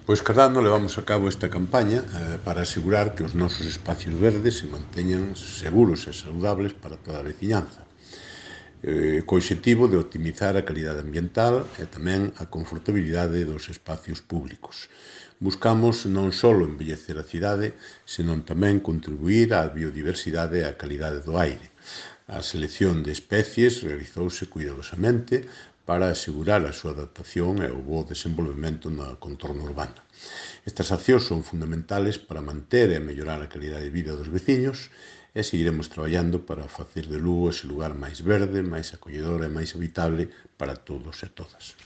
Pois cada ano levamos a cabo esta campaña para asegurar que os nosos espacios verdes se manteñan seguros e saludables para toda a veciñanza, co obxectivo de optimizar a calidade ambiental e tamén a confortabilidade dos espacios públicos. Buscamos non só embellecer a cidade, senón tamén contribuir á biodiversidade e á calidade do aire. A selección de especies realizouse cuidadosamente para asegurar a súa adaptación e o bo desenvolvemento no contorno urbano. Estas accións son fundamentales para manter e mellorar a calidade de vida dos veciños e seguiremos traballando para facer de Lugo ese lugar máis verde, máis acolledor e máis habitable para todos e todas.